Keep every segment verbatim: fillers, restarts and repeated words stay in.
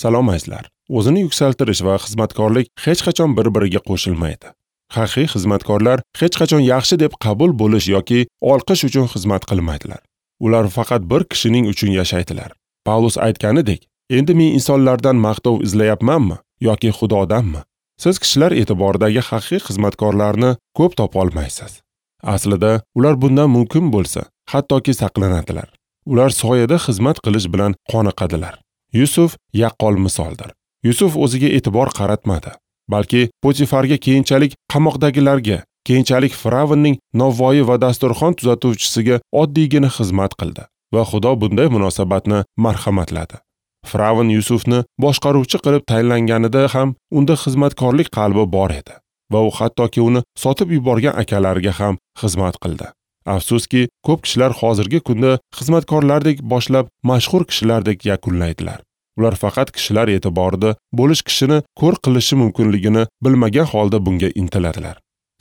Salom azizlar. O'zini yuksaltirish va xizmatkorlik hech qachon bir-biriga qo'shilmaydi. Haqiqiy xizmatkorlar hech qachon yaxshi deb qabul bo'lish yoki olqish uchun xizmat qilmaydilar. Ular faqat bir kishining uchun yashaydilar. Pavlus aytganidek, endi men insonlardan maqtov izlayapmanmi yoki Xudodanmi? Siz kishilar e'tiboridagi haqiqiy xizmatkorlarni ko'p topa olmaysiz. Aslida ular bundan mumkin bo'lsa, hattoki saqlanadilar. Ular soyada xizmat qilish bilan qoniqadilar. Yusuf yaqqol misoldir. Yusuf o'ziga e'tibor qaratmadi, balki Potifarga, keyinchalik qamoqdagilarga, keyinchalik Firavnning novvoyi va dasturxon tuzatuvchisiga oddiygina xizmat qildi va Xudo bunday munosabatni marhamatladi. Firavn Yusufni boshqaruvchi qilib tayinlanganida ham unda xizmatkorlik qalbi bor edi va u hattoki uni sotib yuborgan akalariga ham xizmat qildi. Afsuski, ko'p kishilar hozirgi kunda xizmatkorlardek boshlab mashhur kishilardek yakunlaydilar. Ular faqat kishilar e'tiborida bo'lish kishini ko'r qilishi mumkinligini bilmagan holda bunga intiladilar.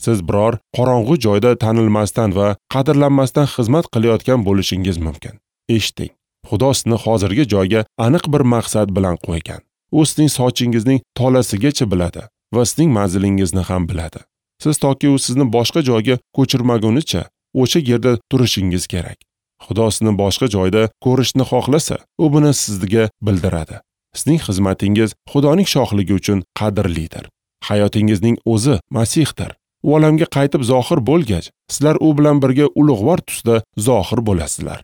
Siz biror qorong'u joyda tanilmasdan va qadrlanmasdan xizmat qilayotgan bo'lishingiz mumkin. Eshiting, Xudo sizni hozirgi joyga aniq bir maqsad bilan qo'ygan. U sizning sochingizning tolasigacha biladi va sizning manzilingizni ham biladi. Siz toki u sizni boshqa joyga ko'chirmagunicha o'sha yerda turishingiz kerak. Xudo sizni boshqa joyda ko'rishni xohlasa, u buni sizga bildiradi. Sizning xizmatingiz Xudoning shohligi uchun qadrlidir. Hayotingizning o'zi Masihdir. U olamga qaytib zohir bo'lgach, sizlar u bilan birga ulug'vor tusda zohir bo'lasizlar.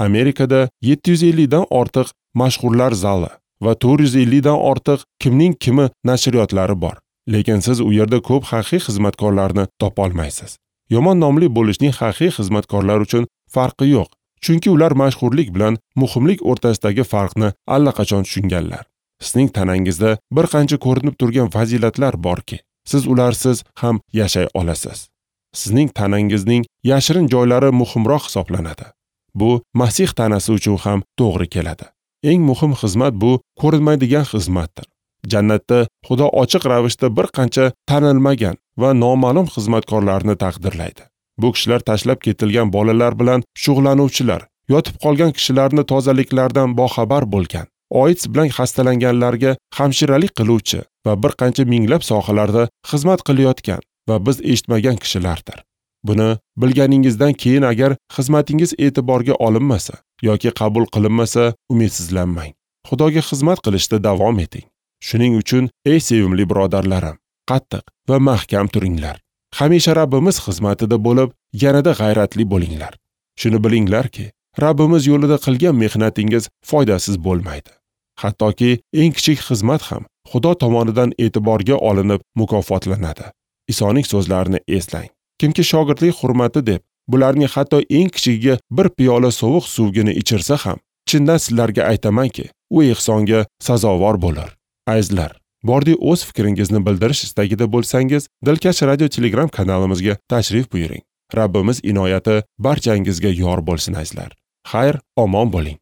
Amerikada yetti yuz ellik dan ortiq mashhurlar zali va to'rt yuz ellik dan ortiq kimning kimi nashriyotlari bor. Lekin siz u yerda ko'p haqiqiy xizmatkorlarni topa olmaysiz. Yomon nomli bo'lishning haqiqiy xizmatkorlar uchun farqi yo'q, chunki ular mashhurlik bilan muhimlik o'rtasidagi farqni allaqachon tushunganlar. Sizning tanangizda bir qancha ko'rinib turgan fazilatlar borki, siz ularsiz ham yashay olasiz. Sizning tanangizning yashirin joylari muhimroq hisoblanadi. Bu Masih tanasi uchun ham to'g'ri keladi. Eng muhim xizmat bu ko'rinmaydigan xizmatdir. Jannatda Xudo ochiq ravishda bir qancha tanilmagan va noma'lum xizmatkorlarni taqdirlaydi. Bu kishilar tashlab ketilgan bolalar bilan shug'ullanuvchilar, yotib qolgan kishilarni tozaliklardan boxabar bo'lgan, O I D S bilan xastalanganlarga hamshiralik qiluvchi va bir qancha minglab sohalarda xizmat qilayotgan va biz eshitmagan kishilardir. Buni bilganingizdan keyin agar xizmatingiz e'tiborga olinmasa yoki qabul qilinmasa, umidsizlanmang. Xudoga xizmat qilishda davom eting. Shuning uchun ey sevimli birodarlarim, qattiq va mahkam turinglar. Hamisha Rabbimiz xizmatida bo'lib, yanada g'ayratli bo'linglar. Shuni bilinglarki, Rabbimiz yo'lida qilgan mehnatingiz foydasiz bo'lmaydi. Hattoki eng kichik xizmat ham Xudo tomonidan e'tiborga olinib mukofotlanadi. Isoning so'zlarini eslang. Kimki shogirdlik hurmati deb bularning hatto eng kichigiga bir piyola sovuq suvgini ichirsa ham, chindan sizlarga aytamanki, u ehsonga sazovor bo'lar. Azizlar, bordi o'z fikringizni bildirish istagida bo'lsangiz, Dilkash radio Telegram kanalimizga tashrif buyuring. Rabbimiz inoyati barchangizga yor bo'lsin azizlar. Xayr, omon bo'ling.